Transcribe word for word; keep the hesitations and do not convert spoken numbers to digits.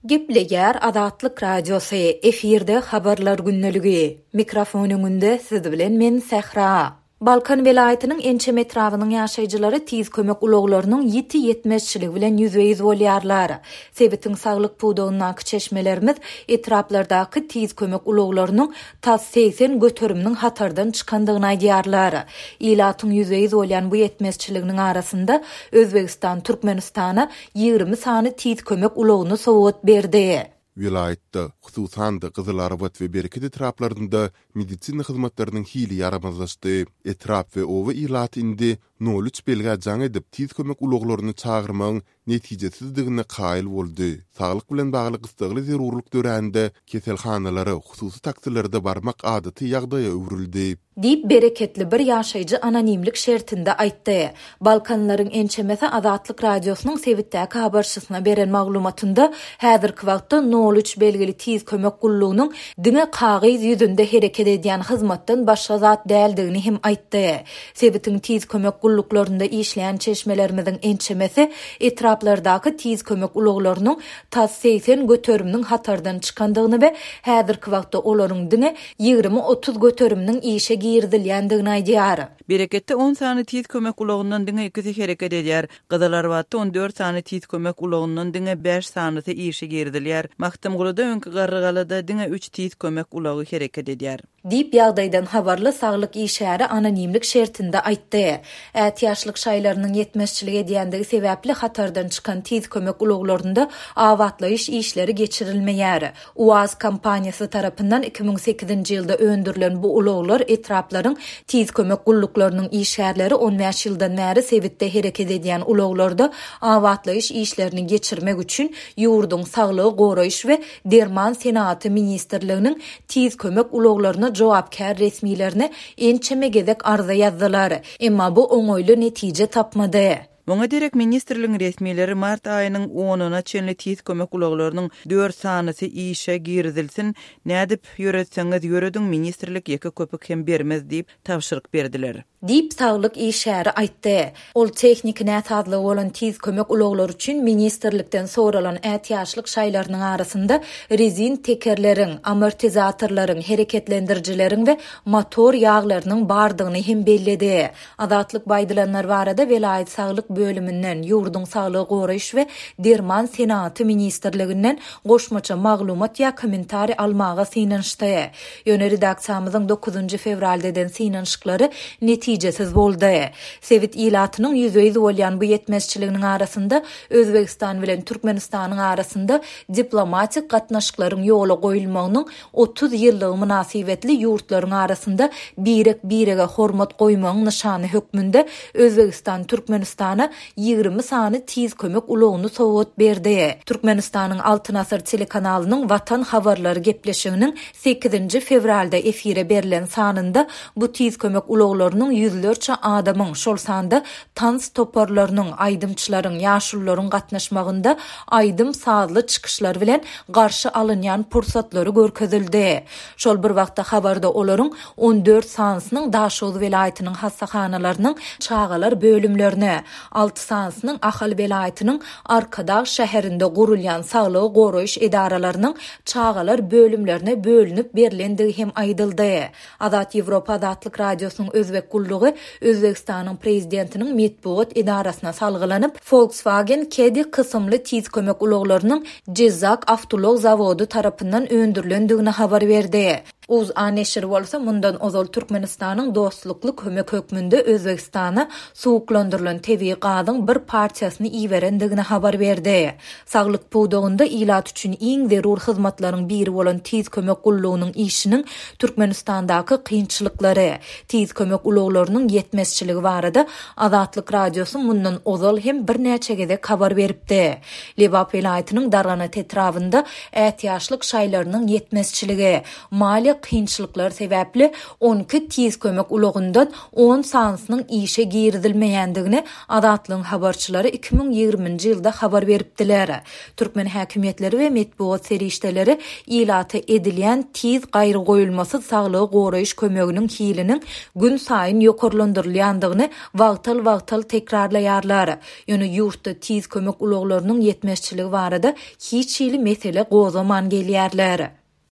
Gepleýär Azatlyk Radiosy, efirde habarlar gündeligi. Mikrofon öňünde siz bilen men Sähra. Balkan welaýatynyň ençeme etrabynyň ýaşaýjylary tiz kömek ulaglarynyň ýiti ýetmezçiligi bilen ýüzbe-ýüz bolýarlar. Sebitiň saglyk pudagyndaky çeşmelerimiz etraplardaky tiz kömek ulaglarynyň tas segsen göteriminiň hatardan çykandygyny aýdýarlar. Ilatyň ýüzbe-ýüz bolýan bu ýetmezçiliginiň arasynda Özbegistan Türkmenistana ýigrimi sany tiz kömek ulagyny sowgat berdi. Welaýatda, hususan-da Gyzylarbat we Bereket etraplarynda medisina hyzmatlarynyň hili ýaramazlaşdy. Etrap we oba ilaty indi nol üç belgä jaň edip, tiz kömek ulaglaryny çagyrmagyň netijesizdigine kaýyl boldy. Saglyk bilen bagly gyssagly zerurlyk dörände keselhanalara, hususy taksilerde barmak adaty ýagdaýa öwrüldi. Diýip, bereketli bir ýaşaýjy anonimlik şertinde aýtdy. Balkanlaryň ençemesi Azatlyk Radiosynyň sebitdäki habarçysyna beren maglumatynda häzirki wagtda nol üç belgili tiz kömek gullugynyň diňe kagyz ýüzünde hereket edýän hyzmatdan başga zat däldigini hem aýtdy. Sebitiň tiz kömek gulluklarynda işleýän çeşmelerimiziň ençemesi etraplardaky tiz kömek ulaglarynyň tas segsen göteriminiň hatardan çykandygyny we häzirki wagtda olaryň diňe ýigrimi otuz göteriminiň işe girizilýändigini aýdýar. Bereketde on sany tiz kömek ulagyndan diňe ikisi hereket edýär. Gyzylarbatda on dört sany tiz kömek ulagyndan diňe bäş sanysy işe girizilýär. Magtymgulyda öňki Garrygalada diňe üç tiz kömek ulagy hereket edýär. Diýip ýagdaýdan habarly saglyk işgäri anonimlik şertinde aýtdy. Ätiýaçlyk şaýlarynyň ýetmezçilik edýändigi sebäpli hatardan çykan tiz kömek ulaglarynda abatlaýyş işleri geçirilmeýär. UAZ kompaniýasy tarapyndan iki müň sekizinji ýylda öndürilen bu ulaglar etraplaryň tiz kömek gulluklarynyň işgärleri on bäş ýyldan bäri sebitde hereket edýän ulaglarda abatlaýyş işlerini geçirmek üçin ýurduň saglygy goraýyş we derman senagaty ministrliginiň tiz kömek ulaglaryna jogapkär resmilerine ençeme gezek arza ýazdylar. Emma bu oňaýly netije tapmady. Muňa derek ministrligiň resmileri mart aýynyň onuna çenli tiz kömek ulaglarynyň dört sanysy işe girizilsin, nädip ýöretseňiz ýörediň ministrlik ýeke köpük hem bermez diýip tabşyryk berdiler. Diýip saglyk işgäri aýtdy. Ol tehniki näsazlygy bolan tiz kömek ulaglary üçin ministrlikden soralan ätiýaçlyk şaýlarynyň arasynda rezin tekerleriň, amortizatorlaryň, hereketlendirijileriň we motor ýaglarynyň bardygyny hem belledi. Azatlyk baýdylanlar barada welaýat saglyk bölüminden, ýurduň saglygy goraýyş we derman senagaty ministrliginden goşmaça maglumat ýa kommentariý almaga synanyşdy. Ýöne redaksiýamyzyň dokuzynjy fewralda eden synanyşyklary netijesiz boldy. Sebit ilatynyň ýüzbe-ýüz bolýan bu ýetmezçiliginiň arasynda Özbegistan bilen Türkmenistanyň arasynda diplomatik gatnaşyklaryň ýola goýulmagynyň otuz ýyllygy mynasybetli ýurtlaryň arasynda birek-birege hormat goýmagyň nyşany hökmünde Özbegistan Türkmenistana ýigrimi sany tiz kömek ulagyny sowgat berdi. Türkmenistanyň Altyn Asyr telekanalynyň Watan habarlary gepleşiginiň sekizinji fewralda efire berlen sanynda bu tiz kömek ulaglarynyň ýüzlerçe adamyň, şol sanda tans toparlarynyň, aýdymçylaryň, ýaşulularyň gatnaşmagynda aýdym sazly çykyşlar bilen garşy alynýan pursatlary görkezildi. Şol bir wagtda habarda olaryň on dört sanysynyň Daşoguz welaýatynyň hassahanalarynyň çagalar bölümlerine, alty sanysynyň Ahal welaýatynyň Arkadag şäherinde gurulýan saglygy goraýyş edaralarynyň çagalar bölümlerine bölünip berilendigi hem aýdyldy. Azat Ýewropa Azatlyk Radiosynyň Özbek gullugy Özbegistanyň prezidentiniň metbugat edarasyna salgylanyp, Volkswagen Caddy kysymly tiz kömek ulaglarynyň Jizzak awtoulag zawody tarapyndan öndürilendigini habar berdi. UZA neşiri bolsa mundan ozal Türkmenistanyň dostlukly kömek hökmünde Özbegistana suwuklandyrylan tebigy gazyň bir partiýasyny iberendigini habar berdi. Saglyk pudagynda ilat üçin iň zerur hyzmatlaryň biri bolan tiz kömek gullugynyň işiniň Türkmenistandaky kynçylyklary, tiz kömek ulaglarynyň ýetmezçiligi barada Azatlyk Radiosy mundan ozal hem birnäçe gezek habar beripdi. Lebap welaýatynyň Darganat etrabynda ätiýaçlyk şaýlarynyň ýetmezçiligi, maliýe hem-de kynçylyklar sebäpli on iki tiz kömek ulagyndan on sanysynyň işe girizilmeýändigini Azatlygyň habarçylary iki müň ýigriminji ýylda habar beripdiler. Türkmen häkimiýetleri we metbugat serişdeleri ilata edilýän tiz gaýrygoýulmasyz saglygy goraýyş kömeginiň hiliniň gün saýyn ýokarlandyrylýandygyny wagtal-wagtal tekrarlaýarlar. Ýöne ýurtda tiz kömek ulaglarynyň ýetmezçiligi barada hiç hili mesele gozgaman gelýärler.